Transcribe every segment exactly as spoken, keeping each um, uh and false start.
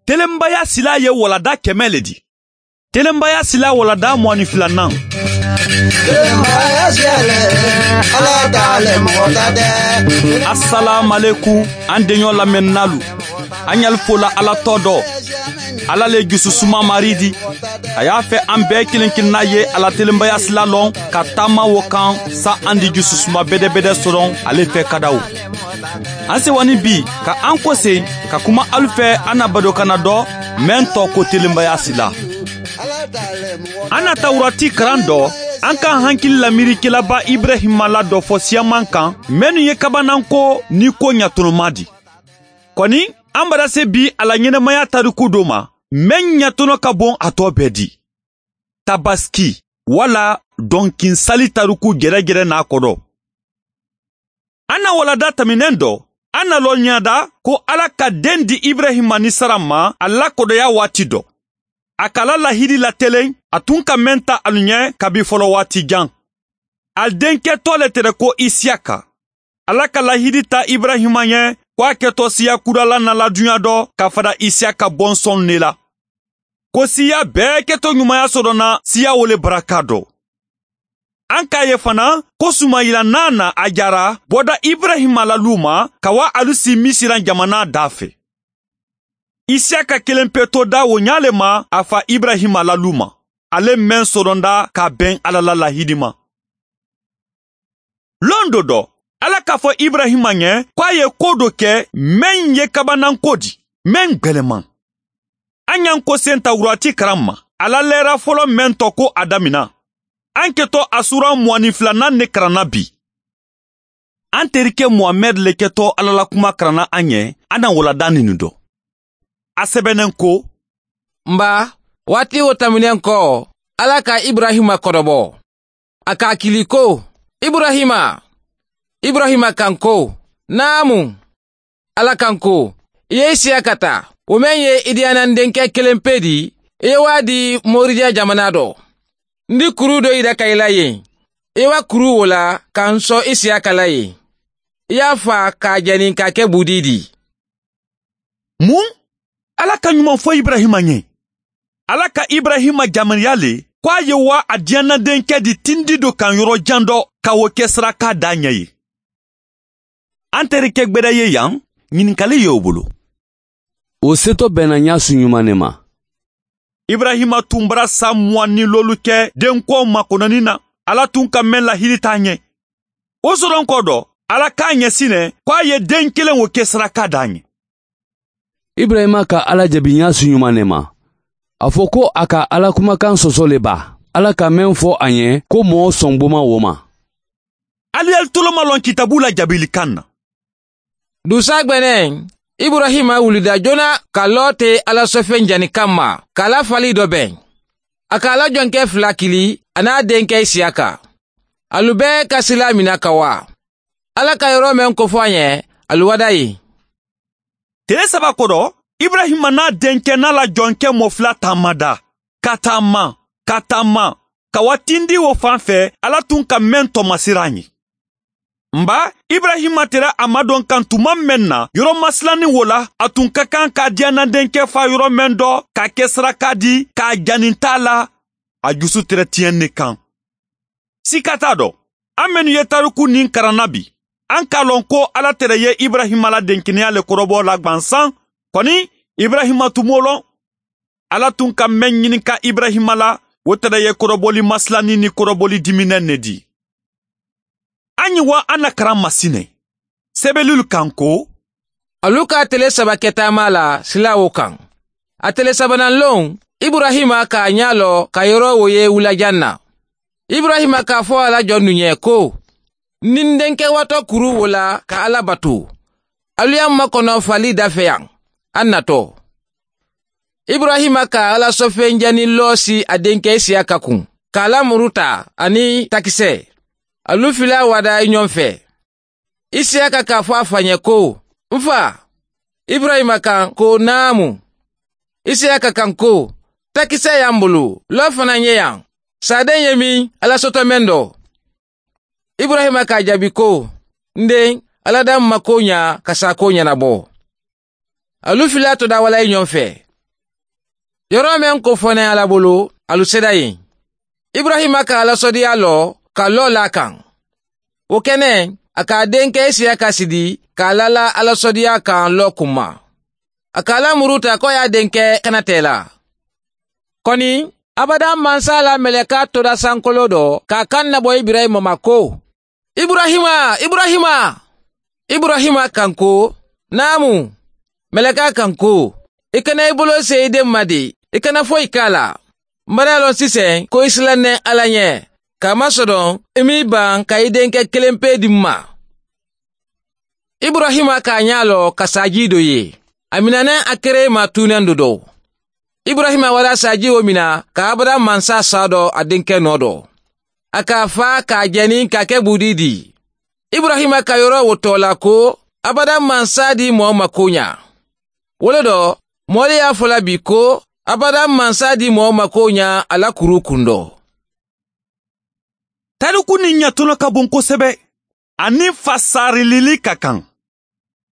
Telenbaya sila ye walada kɛmɛ le di. Telenbaya sila walada mugan ni filanan. Telenbaya siyɛlɛ, Ala t'ale mɔgɔ ta dɛ. Asalamalekun an denɲɔ lamɛnnalu. An y'al fola Ala tɔ dɔ. Ala le jususuma mari di. A y'a fɛ an bɛɛ kelen kelenna ye ala telenbaya sila lɔn ka taama wo kan sa an di jususuma bɛdɛbɛdɛ sɔrɔ ale fɛ kadaw. An sewani bi ka an kɔsen ka kuma alu fɛ an na badokana dɔ mɛn tɔ ko telenbaya sila. An na tawurati karan dɔ an ka hankili lamirikɛlaba Ibrahima la dɔ fɔ siyaman kan mɛnnu ye kabananko ni ko ɲatɔnɔma di. Kɔni an bara se bi a la ɲɛnɛmaya tariku dɔ ma mɛn ɲatɔnɔ ka bon a tɔ bɛɛ di. Tabaski wala dɔnkinsali tariku gɛrɛgɛrɛ n'a kɔrɔ. An na walada tɛmɛnen dɔ an na lɔ ɲada ko Ala ka den di Ibrahima ni Sara ma a lakodɔya waati dɔ. A kala lahidi latelen a tun ka mɛn ta alu ɲɛ kabi fɔlɔ waati jan. Al denkɛ tɔ le tɛrɛ ko Isiyaka. Ala ka lahidi ta Ibrahima ɲɛ ko a kɛtɔ siya kurala na la dunya dɔ ka fara Isiyaka bɔnsɔn ne la. Ko siya bɛɛ kɛtɔ ɲumanya sɔrɔ na siya wole baraka dɔ. An k'a ye fana ko Sumayila n'a na a jara bɔda Ibrahima la lu ma ka wa alu si Misiran jamana da fɛ. Isiyaka kelen pe to da o ɲale ma a fa Ibrahima la lu ma. Ale mɛn sɔrɔnda ka bɛn Ala la lahidi ma. Lon dɔ dɔ, Ala k'a fɔ Ibrahima ɲɛ ko a ye ko dɔ kɛ mɛn ye kabananko di, mɛn gwɛlɛman. An y'an ko sen tawurati karan ma. Ala lɛra fɔlɔ mɛn tɔ ko a damina. An kɛtɔ a sura mugan ni filanan ne karanna bi. An terikɛ Muhamɛd le kɛtɔ Ala la kuma karanna an ɲɛ, an na walada nin dɔ. A sɛbɛnnen ko: Nba, waati o tɛmɛnen kɔ, Ala ka Ibrahima kɔrɔbɔ. A k'a kili ko: Ibrahima, Ibrahima kan ko: Naamu. Ala kan ko: I ye Isiyaka ta, o mɛn ye i diyanan denkɛ kelen pe di, i ye waa di Moridiya jamana dɔ. N di kuru dɔ yira ka i la yen. I wa kuru o la ka n sɔn Isiyaka la yen. I y'a fa k'a jɛni k'a kɛ budi di. Mun? Ala ka ɲuman fɔ Ibrahima ɲɛ. Ala ka Ibrahima jamaniya le ko a ye wa a diyanna denkɛ di tindi dɔ kan yɔrɔ jan dɔ ka o kɛ saraka da ɲɛ ye. An terikɛ gbɛdɛ ye yan, ɲininkali ye o bolo. O setɔ bɛnna ɲasu ɲuman ne ma. Ibrahima tun bara san mugan ni lolu kɛ denkɔw makɔnɔni na. Ala tun ka mɛn lahidi t'a ɲɛ. O sɔrɔ kɔ dɔ, Ala k'a ɲɛsinɛ ko a ye den kelen o kɛ saraka da ɲɛ. Ibrahima ka Ala jaabi ɲasu ɲuman ne ma. A fɔ ko a ka Ala kumakan sɔsɔ le ba. Ala ka mɛn fɔ a ɲɛ ko mɔɔ sɔn boma wo ma. Aliyali toloma lɔn kitabu la jabilikan na. Dusa gbɛnɛ, Ibrahima wulida joona ka lɔ te Ala sɔfɛn jani kama k'a la fali dɔ bɛn. A k'a la jɔnkɛ fila kili a n'a denkɛ Isiyaka. Alu bɛɛ ka sila mina ka wa. Ala ka yɔrɔ mɛn kofɔ a ɲɛ, alu wada ye. Tile saba kɔrɔ, Ibrahima n'a denkɛ n'a la jɔnkɛ mɔ fila taama da. Ka taama, ka taama, ka wa tindi o fan fɛ, Ala tun ka mɛn tɔmasira ɲɛ. Nba, Ibrahima tɛrɛ a madɔn kan tuma mɛn na, yɔrɔ masilanni wo la, a tun ka kan k'a diyanna denkɛ fa yɔrɔ mɛn dɔ, k'a kɛ saraka di, k'a jani t'a la, a jusu tɛrɛ tiɲɛ ne kan. Sika t'a dɔ, an minnu ye tariku nin karanna bi, an k'a lɔn ko Ala tɛrɛ ye Ibrahima la denkɛnɛya le kɔrɔbɔ la gwansan, kɔni Ibrahima tun m'o lɔn. Ala tun ka mɛn ɲininka Ibrahima la, o tɛrɛ ye kɔrɔbɔli masilanni ni kɔrɔbɔli diminɛ ne di. An ye wa an na karan masinɛ. Sɛbɛnlilu kan ko: Alu ka tele saba kɛ taama la sila o kan. A tele sabanan lon, Ibrahima k'a ɲɛ lɔ ka yɔrɔ o ye wulajan na. Ibrahima k'a fɔ a la jɔn nu ɲɛ ko: Ni n denkɛ watɔ kuru wo la ka Ala bato. Alu y'an makɔnɔ fali da fɛ yan, an natɔ. Ibrahima ka Ala sɔfɛn jani lɔ si a denkɛ Isiyaka kun, k'a la muru ta ani takisɛ. Alu fila wada ɲɔgɔn fɛ. Isiyaka k'a fɔ a fa ɲɛ ko: N fa. Ibrahima kan ko: Naamu. Isiyaka kan ko: Takisɛ y'an bolo, lɔ fana ye yan. Saden ye min, Ala sɔtɔ mɛn dɔ. Ibrahima k'a jaabi ko: N den, Ala d'an mako ɲa ka sa ko ɲɛnabɔ. Alu fila to da wala ɲɔgɔn fɛ. Yɔrɔ mɛn ko fɔnɛ Ala bolo, alu sera yen. Ibrahima ka Alasɔdiya lɔ ka lɔ la kan. O kɛnɛ, a k'a denkɛ Isiyaka sidi k'a lala Alasɔdiya kan lɔ kunma. A k'a la muru ta k'o y'a denkɛ kanatɛ la. Kɔni, abada mansa la mɛlɛka tora sankolo dɔ k'a kan nabɔ Ibrahima ma ko, Ibrahima, Ibrahima! Ibrahima kan ko, naamu. Mɛlɛka kan ko, i kana i bolo se i den ma de, i kana foyi k'a la. N bara lɔn sisan ko i silannen Ala ɲɛ, k'a masɔrɔ i m'i ban ka i denkɛ kelen pe di n ma. Ibrahima k'a ɲɛ lɔ ka saji dɔ ye. A minɛnen a kere ma tunnen dɔ dɔ. Ibrahima wara saji o mina ka abada mansa sa dɔ a denkɛ nɔ dɔ. A k'a fa k'a jɛni k'a kɛ budi di. Ibrahima ka yɔrɔ wo tɔ la ko abada mansa di mɔɔ ma ko ɲa. Wolo dɔ, mɔɔli y'a fɔla bi ko abada mansa di mɔɔ ma ko ɲa a la kuru kun dɔ. Tariku ni ɲɛtɔnɔ ka bon kosɛbɛ ani fasarilili ka kan.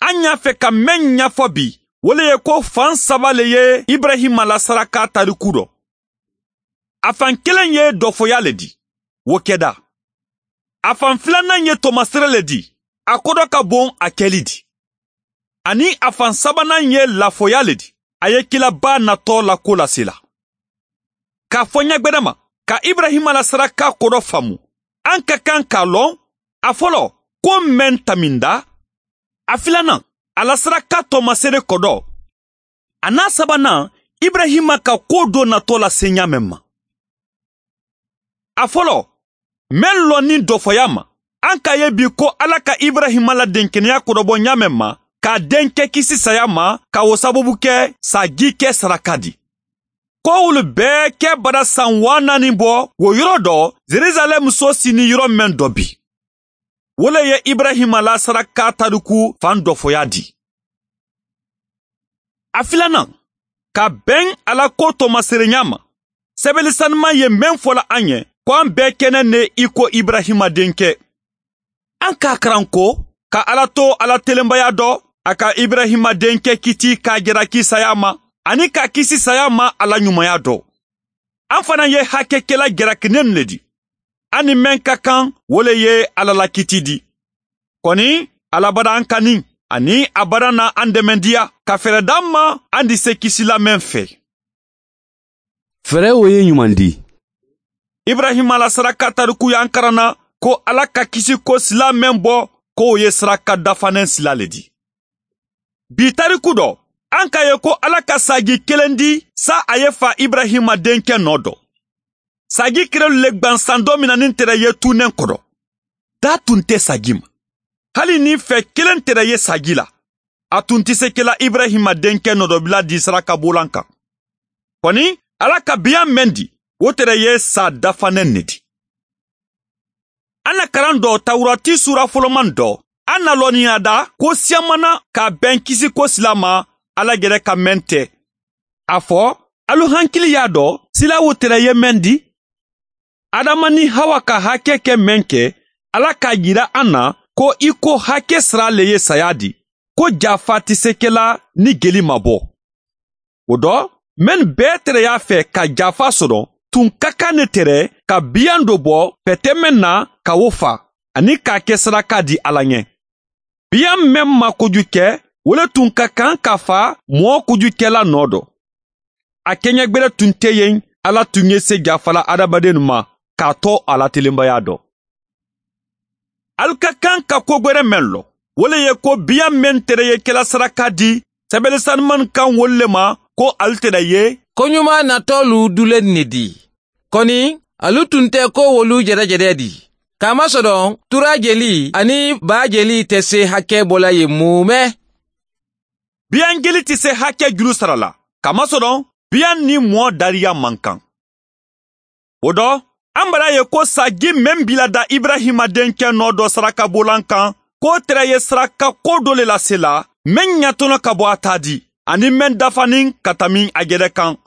An y'a fɛ ka mɛn ɲɛfɔ bi, o le ye ko fan saba le ye Ibrahima la saraka tariku dɔ. A fan kelen ye dɔfɔya le di, o kɛda. A fan filanan ye tɔmasere le di, a kɔdɔ ka bon a kɛli di. Ani a fan sabanan ye lafɔya le di, a ye kilaba natɔ la ko lase la. K'a fɔ ɲɛgbɛrɛ ma, ka Ibrahima la saraka kɔdɔ faamu, an ka kan k'a lɔn, a fɔlɔ, ko mɛn taminda, a filanan, a la saraka tɔmasere kɔdɔ, a n'a sabanan, Ibrahima ka ko dɔ natɔ la se ɲa mɛn ma. A fɔlɔ, mɛn lɔnni dɔfɔya ma, an k'a ye bi ko Ala ka Ibrahima la denkɛnɛya kɔrɔbɔ ɲa mɛn ma, k'a denkɛ kisi saya ma, ka o sababu kɛ saji kɛ saraka di. Ko olu bɛɛ kɛ bara san waa naani bɔ o yɔrɔ dɔ, Jerusalɛm so sini yɔrɔ mɛn dɔ bi. O le ye Ibrahima la saraka tariku fan dɔfɔya di. A filanan, ka bɛn Ala ko tɔmaserenya ma, sɛbɛnni sanuman ye mɛn fɔla an ye ko an bɛɛ kɛnɛ ne i ko Ibrahima denkɛ. An k'a karan ko ka Ala to Ala telenbaya dɔ, a ka Ibrahima denkɛ kiti k'a jalaki saya ma, ani k'a kisi saya ma Ala ɲumanya dɔ. An fana ye hakɛkɛla jalakinen le di. An ni mɛn ka kan, o le ye Ala la kiti di. Kɔni, Ala bara an kani, ani a bara na an dɛmɛdiya, ka fɛɛrɛ d'an ma an di se kisila mɛn fɛ. Fɛɛrɛ o ye ɲuman di. Ibrahima la saraka tariku y'an karanna ko Ala ka kisi ko sila mɛn bɔ, k'o ye saraka dafanen sila le di. Bi tariku dɔ, an k'a ye ko Ala ka sagi kelen di sa a ye fa Ibrahima denkɛ nɔ dɔ. Sagi kerelu le gbansan dɔ minɛni tɛrɛ ye tunnen kɔrɔ. Da tun tɛ sagi ma. Hali ni fɛ kelen tɛrɛ ye sagi la, a tun tɛ se kɛla Ibrahima denkɛ nɔdɔbila di saraka bolan kan. Kɔni, Ala ka biyan mɛn di, o tɛrɛ ye sa dafanen ne di. An na karan dɔ Tawurati sura fɔlɔman dɔ, an na lɔnniya da ko siyamana ka bɛn kisi ko sila ma Ala gɛrɛ ka mɛn tɛ. A fɔ, alu hankili y'a dɔn sila wo tɛrɛ ye mɛn di. Adama ni Hawa ka hakɛ kɛ mɛn kɛ, Ala k'a yira an na ko i ko hakɛ sira le ye saya di, ko jafa tɛ se kɛla ni geli ma bɔ. O dɔ, mɛn bɛɛ tɛrɛ y'a fɛ ka jafa sɔrɔ, tun ka kan ne tɛrɛ ka biyan dɔ bɔ pɛtɛ mɛn na ka o fa, ani k'a kɛ saraka di Ala ɲɛ. Biyan mɛn ma kojugu kɛ, o le tun ka kan ka fa mɔɔ kojugukɛla nɔ dɔ. A kɛɲɛgbɛrɛ tun tɛ yen, Ala tun ye se jafala adamaden ma k'a tɔ a la telenbaya dɔ. Alu ka kan ka ko gwɛrɛ mɛn lɔ, o le ye ko biyan mɛn tɛrɛ ye kɛla saraka di, sɛbɛnni sanuman kan wolu le ma ko alu tɛrɛ ye Ko ɲuman natɔlu dulen ne di. Kɔni, alu tun tɛ ko wolu jɛrɛjɛrɛ di. K'a masɔrɔ tura jeli ani ba jeli tɛ se hakɛ bɔla ye mumɛ. Biyan jeli tɛ se hakɛ juru sara la, kamasɔrɔ biyan ni mɔɔ dariya man kan. O dɔ, an bara ye ko saji mɛn bila da Ibrahima denkɛ nɔ dɔ saraka bolan kan, k'o tɛrɛ ye saraka ko dɔ le lase la, mɛn ɲatɔnɔ ka bɔ a ta di, ani mɛn dafanin ka tami a yɛrɛ kan.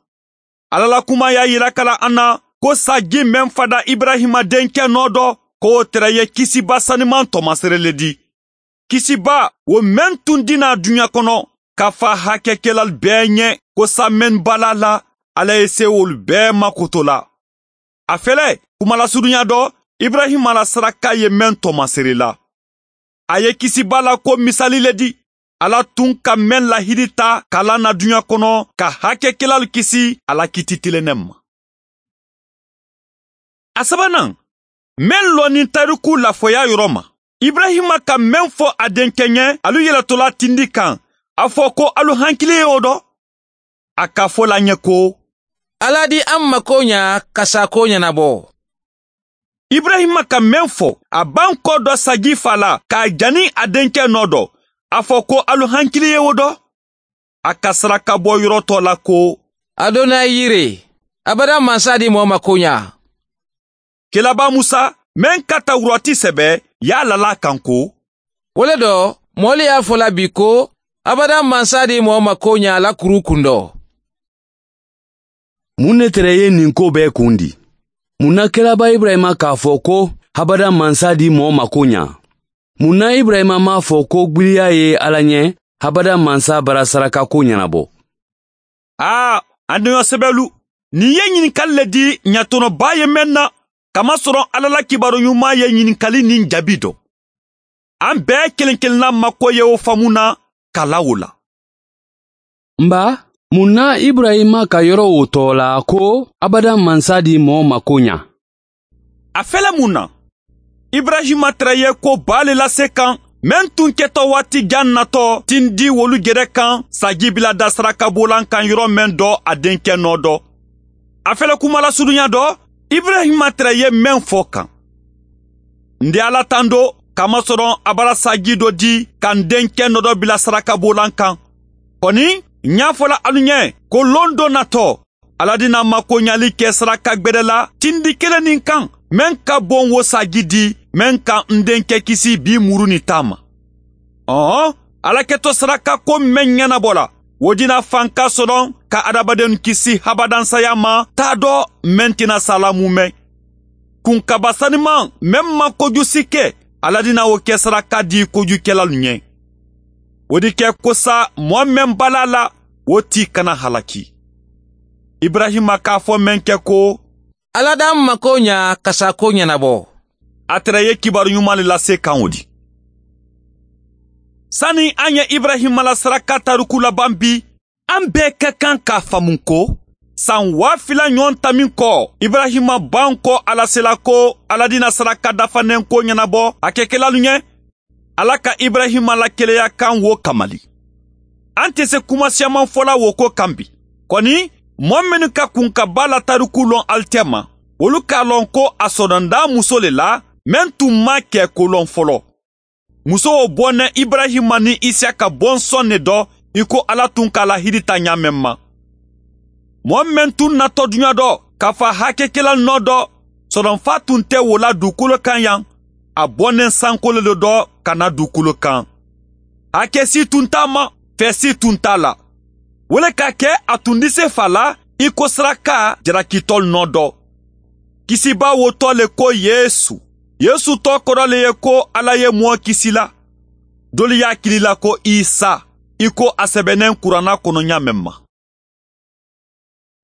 Ala la kuma y'a yira kala an na ko saji mɛn fada Ibrahima denkɛ nɔ dɔ, k'o tɛrɛ ye kisiba saniman tɔmasere le di. Kisiba o mɛn tun dina duɲa kɔnɔ, ka fa hakɛkɛla bɛɛ ɲɛ ko sa mɛn bala la, Ala ye se olu bɛɛ makoto la. A fɛlɛ kumalasurunya dɔ, Ibrahima la saraka ye mɛn tɔmasere la. A ye kisiba la ko misali le di. Ala tun ka mɛn lahidi ta k'a na duɲa kɔnɔ ka hakɛkɛlalu kisi ala kiti tilennen ma. A sabanan, mɛn lɔnni tariku lafɔya yɔrɔ ma, Ibrahima ka mɛn fɔ a denkɛ ɲɛ alu yɛlɛtɔla tindi kan, a fɔ ko alu hankili ye o dɔ. A ka fɔ la ɲɛ ko Ala di an mako ɲa ka sa ko ɲɛnabɔ. Ibrahima ka mɛn fɔ a b'an kɔ dɔ sagi fa la k'a jani a denkɛ nɔ dɔ, a fɔ ko alu hankili ye o dɔ. A ka saraka bɔ yɔrɔ tɔ la ko Adonai yire, abada mansa di mɔɔ mako ɲa. Kelaba Musa mɛn ka tawurati sɛbɛ y'a lala kan ko wo le dɔ mɔɔli y'a fɔ la bi ko abada mansa di mɔɔ mako ɲa la kuru kun dɔ. Mun ne tɛrɛ ye nin ko bɛɛ kun di? Mun na kelaba Ibrahima k'a fɔ ko habada mansa di mɔɔ mako ɲa? Mun na Ibrahima m'a fɔ ko gwiliya ye Ala ɲɛ habada mansa bara saraka ko ɲɛnabɔ? Aa, an denyɔ sɛbɛlu, nin ye ɲininkali le di ɲatɔnɔba ye mɛn na, kamasɔrɔ Ala la kibaru ɲuman ye ɲininkali nin jaabi dɔ. An bɛɛ kelen kelenna mako ye o faamu na ka la o la. Nba, mun na Ibrahima ka yɔrɔ o tɔ la ko abada mansa di mɔɔ mako ɲa? A fɛlɛ mun na? Ibrahima tɛrɛ ye ko ba le lase kan, mɛn tun kɛtɔ waati jan natɔ tindi wolu gɛrɛ kan saji bila da saraka bolan kan yɔrɔ mɛn dɔ a denkɛ nɔ dɔ. A fɛlɛ kuma lasurunya dɔ, Ibrahima tɛrɛ ye mɛn fɔ kan. N di Ala tando kamasɔrɔ a bara saji dɔ di ka n denkɛ nɔ dɔ bila saraka bolan kan. Kɔni, n y'a fɔla alu ɲɛ ko lon dɔ natɔ, Ala dina makoɲali kɛ saraka gbɛrɛ la tindi kelen nin kan, mɛn ka bon wo saji di, mɛn ka n denkɛ kisi bi muru ni ta ma. Ɔhɔn, Ala kɛtɔ saraka ko mɛn ɲɛnabɔ la, o dina fanka sɔrɔ ka adamadenw kisi habadansaya ma t'a dɔ mɛn tɛna salamu mɛn. Kunkaba saniman mɛn ma kojugu si kɛ, Ala dina o kɛ saraka di kojugukɛlalu ɲɛ. O di kɛ kosa mɔɔ mɛn bala la, o ti kana halaki. Ibrahima k'a fɔ mɛn kɛ ko Ala d'an mako ɲa ka sa ko ɲɛnabɔ. A tɛrɛ ye kibaru ɲuman le lase kan o di. Sani an ye Ibrahima la saraka tariku laban bi, an bɛɛ ka kan k'a faamu ko san waa fila ɲɔgɔn ta min kɔ, Ibrahima ban kɔ Ala sela ko Ala dina saraka dafanen ko ɲɛnabɔ a kɛkɛlalu ɲɛ. Ala ka Ibrahima la keleya kan wo kamali. An tɛ se kuma siyaman fɔla wo ko kan bi. Kɔni, mɔɔ minnu ka kunkaba la tariku lɔn ali tɛ ma, olu k'a lɔn ko a sɔrɔnda muso le la, mɛn tun ma kɛ ko lɔn fɔlɔ. Muso o bɔnɛ Ibrahima ni Isiyaka bɔnsɔn ne dɔ, i ko Ala tun k'a lahidi ta ɲa mɛn ma. Mɔɔ mɛn tun natɔ duɲa dɔ, k'a fa hakɛkɛla nɔ dɔ, sɔrɔnfa tun tɛ wo la dugukolo kan yan, a bɔnɛ sankolo le dɔ ka na dugukolo kan. Hakɛ si tun t'a ma, fɛ si tun t'a la. Wo le ka kɛ a tun di se fa la i ko saraka jarakitɔ nɔ dɔ. Kisiba wo tɔ le ko Yesu. Yesu tɔ kɔrɔ le ye ko Ala ye mɔɔ kisi la. Dolu y'a kili la ko Isa, i ko a sɛbɛnnen kuranna kɔnɔ ɲa mɛn ma.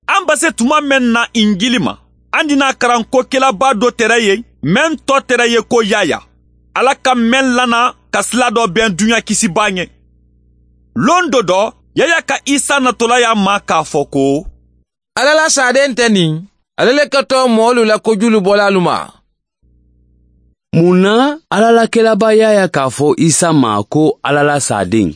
An ba se tuma mɛn na Injili ma, an dina karan ko kɛlaba dɔ tɛrɛ ye, mɛn tɔ tɛrɛ ye ko Yaya. Ala ka mɛn lana ka sila dɔ bɛn duɲa kisiba ɲɛ. Lon dɔ dɔ, Yaya ka Isa natɔla y'a ma k'a fɔ ko Ala la saden tɛ nin, ale le kɛtɔ mɔɔlu la kojulu bɔla alu ma. Mun na Ala la kɛlaba Yaya k'a fɔ Isa ma ko Ala la saden?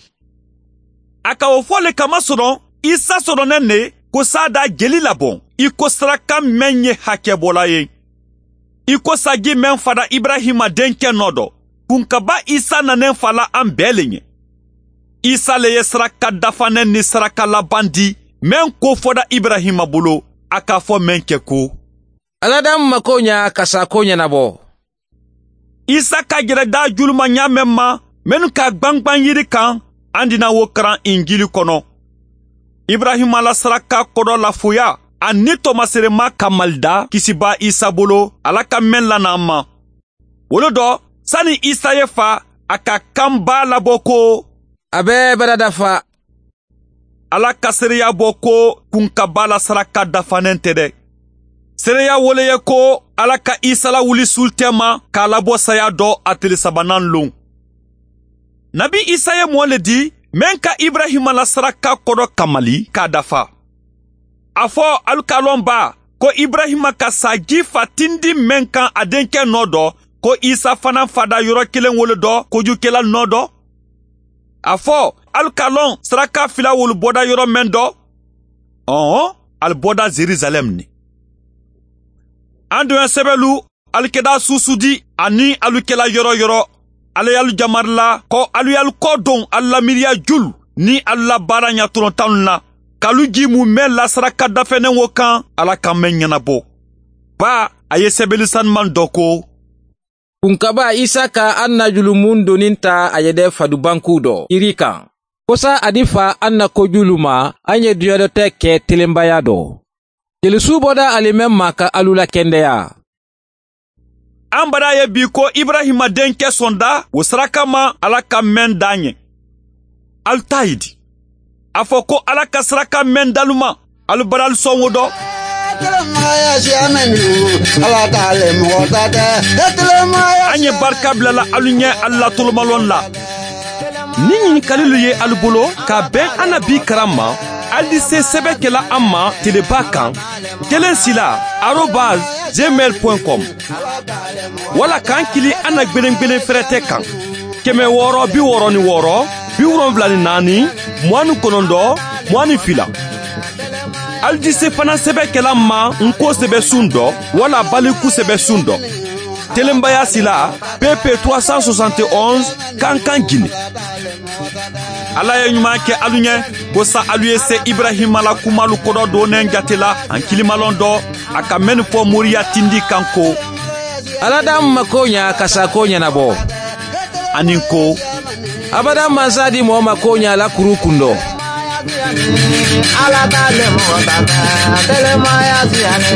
A ka o fɔ le kamasɔrɔ Isa sɔrɔnɛ ne ko sa da jeli labɔn, i ko saraka mɛn ye hakɛbɔla ye. I ko saji mɛn fada Ibrahima denkɛ nɔ dɔ, kunkaba Isa nanen fala an bɛɛ le ɲɛ. Isa le ye saraka dafanɛ ni saraka laban di, mɛn ko fɔda Ibrahima bolo, a k'a fɔ mɛn kɛ ko Ala d'an mako ɲa ka sa ko ɲɛnabɔ. Isa ka jɛrɛ da juluma ɲa mɛn ma, minnu ka gbangban yiri kan, an dina wo karan Injili kɔnɔ. Ibrahima la saraka kɔrɔ lafoya, a ni tɔmaserema kamalida kisiba Isa bolo, Ala ka mɛn lana an ma. Wolo dɔ, sani Isa ye fa, a ka kanba labɔ ko a bɛɛ bara dafa. Ala ka seereya bɔ ko kunkaba la saraka dafanen tɛ dɛ. Seereya wole ye ko Ala ka Isa lawuli sul tɛma k'a labɔ saya dɔ a tile sabanan lon. Nabi Isa ye mɔɔ le di mɛn ka Ibrahima la saraka kɔdɔ kamali k'a dafa. A fɔ alu k'a lɔn ba ko Ibrahima ka saji fa tindi mɛn kan a denkɛ nɔ dɔ, ko Isa fana fada yɔrɔ kelen wolo dɔ kojukɛla nɔ dɔ. A fɔ alu k'a lɔn saraka fila wolu bɔda yɔrɔ mɛn dɔ. Ɔhɔn, alu bɔda Jerusalɛm ni. An dun sɛbɛlu alu kɛda susudi ani alu kɛla yɔrɔ yɔrɔ. Ala y'alu jamari la ko alu y'alu kɔ don alu la miiriya julu ni alu la baara ɲatɔrɔntanw la. K'alu ji mun mɛn la saraka dafɛnɛ wo kan Ala ka mɛn ɲɛnabɔ. Ba a ye sɛbɛli sanuman dɔ ko kunkaba Isa ka an na julumun donin ta a yɛrɛ fadubanku dɔ iri kan. Kosa a di fa an na kojulu ma an ye duɲadɔtɛ kɛ telenbaya dɔ. Jelisu bɔda ale mɛn ma ka alu la kɛndɛya. An bara ye bi ko Ibrahima denkɛ sɔnda o saraka ma Ala ka mɛn dan ye. Alu ta ye di. A fɔ ko Ala ka saraka mɛn dalu ma alu bara alu sɔn o dɔ. An ye barika bilala alu ɲɛ alu la tolomalɔn la. Ni ɲininkalilu ye alu bolo ka bɛn an na bi karan ma, alu di se sɛbɛn kɛla an ma teleba kan kelen sila arobase gmail point com wala k'an kili an na gbelengbelen fɛrɛtɛ kan kɛmɛ wɔɔrɔ bi wɔɔrɔ ni wɔɔrɔ bi wolonwula ni naani mugan ni kɔnɔntɔn mugan ni fila. Alu di se fana sɛbɛn kɛla ma nko sɛbɛn sun dɔ wala baliku sɛbɛn sun dɔ. Telenbaya sila P P trois cent soixante et onze Kankan Guinée. Ala ye ɲuman kɛ alu ɲɛ ko sa alu ye se Ibrahima la kumalu kɔdɔ donnen jate la an kilimalɔn dɔ a ka mɛn fɔ moriya tindi kan ko Ala d'an mako ɲa ka sa ko ɲɛnabɔ. Ani ko abada mansa di mɔgɔ ma ko ɲa la kuru kun dɔ. Ala t'ale mɔgɔ ta tɛ, telemaya siyane,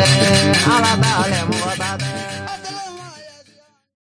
Ala t'ale mɔgɔ.